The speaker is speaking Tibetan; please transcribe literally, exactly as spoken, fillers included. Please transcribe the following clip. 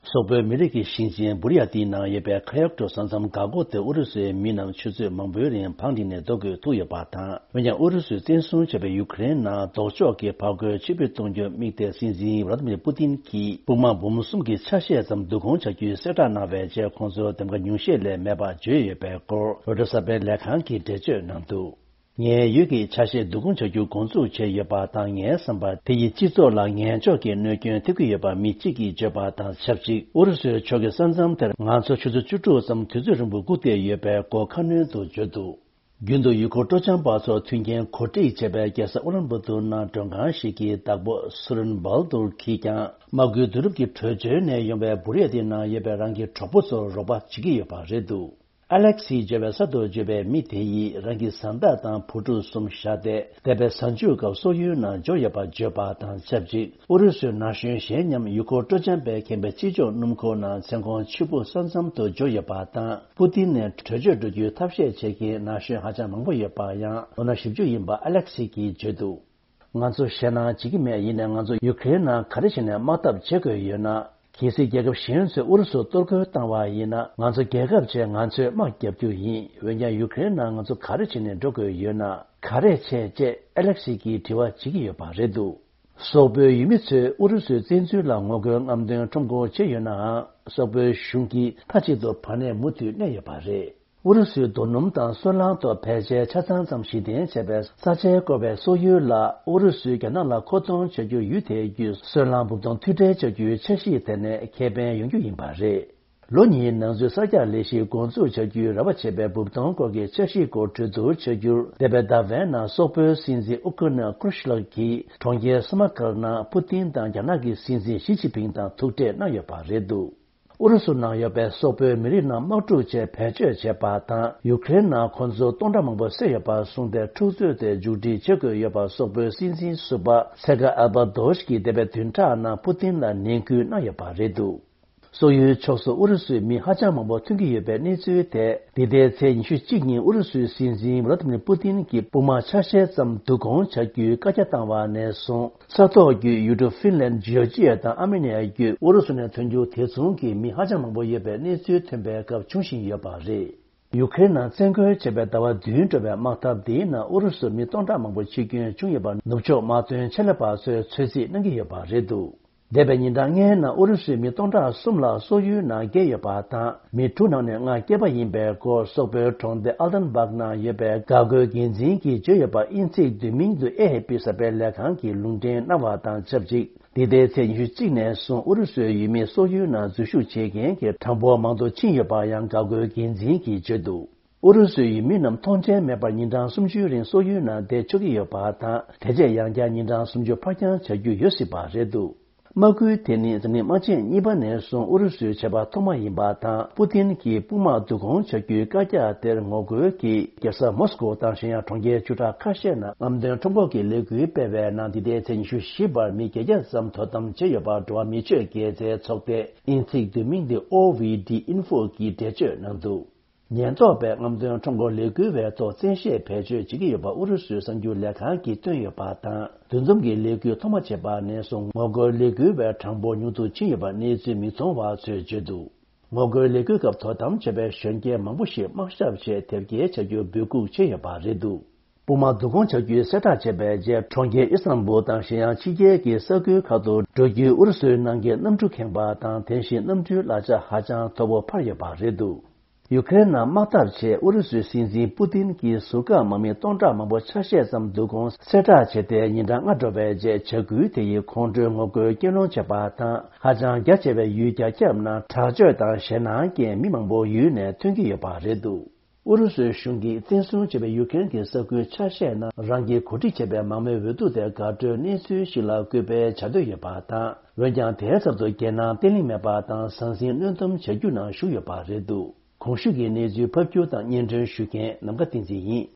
སོག་པོའི་མི་རིགས་ཀྱི་ཞིང་ཆེན་བུ་རི་ཡ་ཏིའི་ནང་ཡོད་པའི་ཁ་ཡོག་ཏོ་ས་མཚམས་འགག་སྒོ་དེ་ཨུ་རུ་སུའི་མི་རྣམས་ཆུ་ཚོད་མང་པོའི་རིང་བང་བསྒྲིགས་ནས་ལྡོག་དགོས་ཐུག་ཡོད་པ་དང་། འོན་ཀྱང་ཨུ་རུ་སུས་བཙན་བཟུང་བྱས་པའི་ཡུ་ཀེ་རེན་ནང་ལྡོག་ཕྱོགས་ཀྱི་ཕར་རྒོལ་ཕྱིར་འབུད་གཏོང་རྒྱུར་དམིགས་ཏེ། སྲིད་འཛིན་ཝ་ལ་ཏི་མིར་པུ་ཏིན་གྱིས་དཔུང་དམག་འབུམ་གསུམ་གྱི་ཆ་ཤས་ཙམ་བསྡུ་སྐོང་བྱ་རྒྱུའི་གསལ་བསྒྲགས་གནང་བའི་རྗེས། ཁོང་ཚོར་འདེམས་ཀ་ཉུང་ཤས་ལས་མེད་པ་བརྗོད་ཡོད་པའི་སྐོར། རོའི་ཊར་གསར་པའི་ལས་ཁང་གིས་འགྲེལ་བརྗོད་གནང་འདུག་ངའི་ཡུལ་གྱི་ཆ་ཤས་བསྡུ་སྐོང་བྱ་རྒྱུ་འགོ་འཛུགས་བྱས་ཡོད་པ་དང་། ངའི་བསམ་པར་དེ་ཡིས་སྤྱི་ཚོགས་ལ་ངན་ཕྱོགས་ཀྱི་གནོད་སྐྱོན་ཐེབས་ཀྱི་ཡོད་པ་མི་གཅིག་གིས་བརྗོད་པ་དང་ཆབས་ཅིག་ཨུ་རུ་སུའི་ཕྱོགས་ཀྱིས་ས་མཚམས་དེར་ང་ཚོ་ཆུ་ཚོད་བཅུ་དྲུག་ཙམ་དུས་ཚོད་རིང་པོ་སྒུག་བསྡད་ཡོད་པའི་སྐོར་ཁ་སྣོན་དུ་བརྗོད་འདུག་རྒྱུན་དུ་ཡུལ་སྐོར་སྤྲོ་འཆམ་པ་ཚོར་མཐུན་རྐྱེན་གོ་སྒྲིག་བྱས་པའི་རྒྱལ་ས་ཨུ་ལན་བུ་ཏུར་ནང་མགྲོན་ཁང་ཞིག་གི་བདག་པོ་སུ་རིན་བཱལ་ཏུར་གྱིས་ཀྱང་། དམག་ཁུལ་བསྡུ་རུབ་ཀྱི་བྲོས་བྱོལ་ནས་ཡོང་བའི་བུ་རི་ཡ་ཏི་ནང་ཡོད་པའི་རང་གི་གྲོགས་པོ་ཚོར་རོགས་པ་བྱེད་ཀྱི་ཡོད་པ་རེད་འདུག་ཨ་ལེག་སི་ཇེ་བའི་ས་དུ་བརྗོད་པའི་མི་དེ་ཡིས་རང་གི་བཟའ་ཟླ་དང་བུ་ཕྲུག་གསུམ་བཞག་སྟེ། འདས་པའི་གཟའ་མཇུག་སྐབས་སོག་ཡུལ་ནང་འབྱོར་ཡོད་པ་བརྗོད་པ་དང་ཆབས་ཅིག་ཨུ་རུ་སུའི་ན་གཞོན་གཞན་མཉམ་ཡུལ་སྐོར་སྤྲོ་འཆམ་པའི་མཁན་པོའི་སྤྱི་ཕྱོགས་སྣུམ་འཁོར་ནང་མཚན་གུང་ཕྱི་པོ་ས་མཚམས་དུ་འབྱོར་ཡོད་པ་དང་། པུ་ཏིན་ནས་བྲོས་བྱོལ་འགྲོ་རྒྱུའི་ཐབས་ཤེས་བྱེད་མཁན་ན་གཞོན་ཧ་ཅང་མང་པོ་ཡོད་པ་ཡང་ལོ་ན་བཞི་བཅུ་ཡིན་པ་ཨ་ལེག་སི་གིས་བརྗོད་འདུག་ང་ཚོ་ཞེད་སྣང་བྱེད་ཀྱི་མེད། ཡིན་ནའི་ང་ཚོ་ཡུ་ཀེ་རེན་ནང་ག་རེ་བྱས་ནས་དམག་འཐབ་བྱེད་དགོས་ཡོད་ན། གལ་སྲིད་རྒྱལ་ཁབ་གཞན་ཚོས་ཨུ་རུ་སུར་གཏོར་རྒོལ་བཏང་བ་ཡིན་ན། ང་ཚོ་རྒྱལ་ཁབ་ཆེད་ང་ཚོས་དམག་རྒྱག་རྒྱུ་ཡིན། འོན་ཀྱང་ཡུ་ཀེ་རེན་ནང་ང་ཚོ་ག་རེ་བྱས་ནས་འགྲོ་དགོས་ཡོད་ན། ག་རེ་བྱས་ཅེས་ཨ་ལེག་སི་གིས་དྲི་བ་བྱེད་ཀྱི་ཡོད་པ་རེད་འདུག་སོག་པོའི་ཡུལ་མི་ཚོས་ཨུ་རུ་སུའི་བཙན་འཛུལ་ལ་ངོ་རྒོལ་རྔམ་སྟོན་ཁྲོམ་སྐོར་བྱས་ཡོད་ནའང་། སོག་པོའི་གཞུང་གིས་མཐའ་གཅིག་ཏུ་བར་གནས་མུ་མཐུད་གནས་ཡོད་པ་རེད། ཨུ་རུ་སུའི་རྡོ་སྣུམ་དང་སོལ་རླངས་ཐོག་ཕལ་ཆེར་ཆ་ཚང་ཙམ་གཞི་རྟེན་བྱས་པའི་ས་ཆའི་བསྐོར་བའི་སོག་ཡུལ་ལ། ཨུ་རུ་སུས་རྒྱ་ནག་ལ་མཁོ་གཏོང་བྱ་རྒྱུ་ཡུལ་དེ་བརྒྱུད་སོལ་རླངས་སྦུབས་གཏོང་མཐུད་སྦྲེལ་བྱ་རྒྱུའི་འཆར་གཞི་དེ་ནས་ཁེ་ཕན་ཡོང་རྒྱུ་ཡིན་པ་རེད། ལོ་གཉིས་ནང་ཚུད་གསར་རྒྱག་ལས་གཞི་འགོ་འཛུགས་བྱ་རྒྱུའི་རེ་བ་བྱེད་པའི་སྦུབས་གཏོང་སྐོར་གྱི་འཆར་གཞིའི་སྐོར་གྲོས་བསྡུར་བྱ་རྒྱུར། འདས་པའི་ཟླ་བའི་ནང་སོག་པོའི་སྲིད་འཛིན་ཨུ་ཀུ་ན་ཀུ་ཤི་ལག་གིས་གྲོང་ཁྱེར་སམ་མར་ཀན་ནང་པུ་ཏིན་དང་རྒྱ་ནག་གི་སྲིད་འཛིན་ཞི་ཅིན་ཕིང་དང་ཐུག་འཕྲད་གནང་ཡོད་པ་རེད་འདུག་ཨུ་རུ་སུ་ནང་ཡོད་པའི་སོག་པོའི་མི་རིགས་རྣམས་དམག་འཁྲུག་ཆེད་བེད་སྤྱོད་བྱས་པ་དང་། ཡུ་ཀེ་རེན་ནང་ཁོ་ཚོར་སྟོང་ཕྲག་མང་པོ་བསད་ཡོད་པར་བཟུང་སྟེ། འཁྲུག་རྩོད་དེ་མཇུག་སྒྲིལ་བྱེད་དགོས་ཡོད་པར་སོག་པོའི་སྲིད་འཛིན་ཟུར་པ་སེ་ག་ཨལ་པ་དོ་ཤ་གིས་འདས་པའི་བདུན་ཕྲག་ནང་པུ་ཏིན་ལ་ནན་སྐུལ་གནང་ཡོད་པ་རེད་འདུག་སོག་ཡུལ་ཕྱོགས་སུ་ཨུ་རུ་སུའི་མི་ཧ་ཅང་མང་པོ་ཐོན་གྱི་ཡོད་པའི་གནས་ཚུལ་དེ། འདི་ཟླའི་ཚེས་ཉི་ཤུ་གཅིག་ཉིན་ཨུ་རུ་སུའི་སྲིད་འཛིན་ཝ་ལ་ཏི་མིར་པུ་ཏིན་གྱིས་དཔུང་དམག་ཆ་ཤས་ཙམ་བསྡུ་སྐོང་བྱ་རྒྱུའི་བཀའ་རྒྱ་བཏང་བ་ནས་བཟུང་། ས་ཐོག་བརྒྱུད་ཡུལ་གྲུ་ཧྥིན་ལན། ཇོར་ཇི་ཡ་དང་ཨར་མེ་ནི་ཡ་བརྒྱུད་ཨུ་རུ་སུ་ནས་ཐོན་རྒྱུ་དེ་མཚུངས་ཀྱི་མི་ཧ་ཅང་མང་པོ་ཡོད་པའི་གནས་ཚུལ་ཐོན་པའི་སྐབས་འབྱུང་བཞིན་ཡོད་པ་རེད། ཡུ་ཀེ་རེན་ནང་བཙན་རྒོལ་བྱས་པའི་ཟླ་བ་བདུན་འགྲོ་བའི་དམག་འཐབ་འདིའི་ནང་ཨུ་རུ་སུར་མི་སྟོང་ཕྲག་མང་པོ་འཆི་སྐྱོན་བྱུང་ཡོད་པར་ནུབ་ཕྱོགས་དམག་དོན་ཆེད་ལས་པ་ཚོས་ཚོད་རྩིས་གནང་གི་ཡོད་པ་རེད་འདུག་འདས་པའི་ཉིན་གྲངས་ལྔའི་ནང་ཨུ་རུ་སུའི་མི་སྟོང་ཕྲག་གསུམ་ལ་སོག་ཡུལ་ནང་བསྐྱལ་ཡོད་པ་དང་། མི་དྲུག་ནང་ནས་ལྔ་སྐྱེས་པ་ཡིན་པའི་སྐོར། སོག་པོའི་གྲོང་སྡེ་ཨལ་ཏན་སྦག་ནང་ཡོད་པའི་འགག་སྒོའི་འགན་འཛིན་གྱིས་བརྗོད་ཡོད་པ། དབྱིན་ཚིག་བསྡུས་མིང་དུ་ཨེ་ཧེ་པི་གསར་པའི་ལས་ཁང་གིས་ལུང་འདྲེན་གནང་བ་དང་ཆབས་ཅིག་འདི་ཟླའི་ཚེས་ཉི་ཤུ་གཅིག་ནས་བཟུང་ཨུ་རུ་སུའི་ཡུལ་མིས་སོག་ཡུལ་ནང་འཛུལ་ཞུགས་བྱེད་མཁན་གྱི་གྲངས་འབོར་མང་དུ་ཕྱིན་ཡོད་པ་ཡང་འགག་སྒོའི་འགན་འཛིན་གྱིས་བརྗོད་འདུག་ཨུ་རུ་སུའི་ཡུལ་མི་རྣམས་ཐོངས་མཆན་མེད་པར་ཉིན་གྲངས་སུམ་ཅུའི་རིང་སོག་ཡུལ་ནང་བསྡད་ཆོག་གི་ཡོད་པ་དང་། དེ་རྗེས་ཡང་བསྐྱར་ཉིན་གྲངས་སུམ་ཅུ་ཕར་འགྱངས་བྱ་རྒྱུ་ཡོད་སྲིད་པ་རེད་འདུག་དམག་འཁུར་དེ་ནི་འཛམ་གླིང་དམག་ཆེན་གཉིས་པ་ནས་བཟུང་ཨུ་རུ་སུའི་བྱས་པ་ཐོག་མ་ཡིན་པ་དང་། པུ་ཏིན་གྱིས་དཔུང་དམག་བསྡུ་སྐོང་བྱ་རྒྱུའི་བཀའ་རྒྱ་དེར་ངོ་རྒོལ་གྱིས། རྒྱལ་ས་མོ་སི་ཀོ་དང་གཞན་ཡང་གྲོང་ཁྱེར་བཅུ་ཕྲག་ཁ་ཤས་ནང་རྔམ་སྟོན་ཁྲོམ་སྐོར་གྱི་ལས་འགུལ་སྤེལ་བའི་ནང་། འདི་ཟླའི་ཚེས་ཉི་ཤུ་བཞི་བར་མི་བརྒྱད་བརྒྱ་ཙམ་དོ་དམ་བྱས་ཡོད་པར་འགྲོ་བ་མི་ཆོས་དགེ་རྩའི་ཚོགས་སྡེ་དབྱིན་ཚིག་བསྡུས་མིང་འདི་ཨོ་ཝི་ཌི་ཨིན་ཧྥོ་གིས་འགྲེལ་བརྗོད་གནང་འདུག་ཉེན་རྟོག་པས་རྔམ་སྟོན་ཁྲོམ་སྐོར་ལས་འགུལ་བའི་ཐོག་བཙན་ཤེད་བེད་སྤྱོད་བྱེད་ཀྱི་ཡོད་པ་ཨུ་རུ་སུའི་གསར་འགྱུར་ལས་ཁང་གིས་བཏོན་ཡོད་པ་དང་། འདུ་འཛོམས་ཀྱི་ལས་འགུལ་ཐོག་མ་བྱས་པ་ནས་བཟུང་ངོ་རྒོལ་ལས་འགུལ་བའི་གྲངས་འབོར་ཉུང་དུ་ཕྱིན་ཡོད་པ་གནས་ཚུལ་མིག་མཐོང་བ་ཚོས་བརྗོད་འདུག་ངོ་རྒོལ་ལས་འགུལ་སྐབས་དོ་དམ་བྱས་པའི་གཞོན་སྐྱེས་མང་པོ་ཞིག་དམག་ཞབས་ཆེད་དེབ་སྐྱེལ་བྱ་རྒྱུར་འབོད་འགུག་བྱས་ཡོད་པ་རེད་འདུག་དཔུང་དམག་བསྡུ་སྐོང་བྱ་རྒྱུའི་གསལ་བསྒྲགས་བྱས་པའི་རྗེས། གྲོང་ཁྱེར་ཨི་སྟན་བུལ་དང་གཞན་ཡང་ཕྱི་རྒྱལ་གྱི་ས་ཁུལ་ཁག་ཏུ་འགྲོ་རྒྱུའི་ཨུ་རུ་སུའི་ནང་གི་གནམ་གྲུ་ཁེངས་པ་དང་། དེ་བཞིན་གནམ་གྲུའི་གླ་ཆ་ཧ་ཅང་མཐོ་པོ་འཕར་ཡོད་པ་རེད་འདུག་ཡུ་ཀེ་རེན་ནང་དམག་འཐབ་ཆེད་ཨུ་རུ་སུའི་སྲིད་འཛིན་པུ་ཏིན་གྱིས་ཟུར་བཀག་དམག་མི་སྟོང་ཕྲག་མང་པོ་ཆ་ཤས་ཙམ་བསྡུ་སྐོང་གསལ་བསྒྲགས་བྱས་ཏེ། ཉིན་གྲངས་ལྔ་འགྲོ་བའི་རྗེས། བྱ་འགུལ་དེ་ཡིས་ཁོང་ཁྲོའི་ངོ་རྒོལ་སྐྱོན་སློང་བྱས་པ་དང་། ཧ་ཅང་རྒྱ་ཆེ་བའི་ཡུལ་རྒྱ་ཁྱབ་ནང་དྲག་སྤྱོད་དང་ཞེད་སྣང་རྐྱེན་མི་མང་པོ་ཡུལ་ནས་ཐོན་གྱི་ཡོད་པ་རེད་འདུག་ཨུ་རུ་སུའི་གཞུང་གིས་བཙན་བཟུང་བྱས་པའི་ཡུ་ཀེ་རེན་གྱི་ས་ཁུལ་ཆ་ཤས་ནང་རང་གིས་གོ་སྒྲིག་བྱས་པའི་མང་མོས་འོས་བསྡུ་དེ་དགའ་སྤྲོའི་གནས་ཚུལ་ཞིག་ལ་སྐུལ་སྤེལ་བྱ་འདོད་ཡོད་པ་དང་། འོན་ཀྱང་དེའི་ཚབ་ཏུ་རྒྱལ་ནང་བརྟན་ལྷིང་མེད་པ་དང་ཟང་ཟིང་གནོན་སྡོམ་བྱ་རྒྱུ་ནང་ཞུགས་ཡོད་པ་རེད་འདུག་གོང་ཞུས་ཀྱི་གནས་ཚུལ་ཕབ་སྒྱུར་དང་སྙན་སྒྲོན་ཞུ་མཁན་ནམ་མཁའ་བསྟན་འཛིན་ཡིན།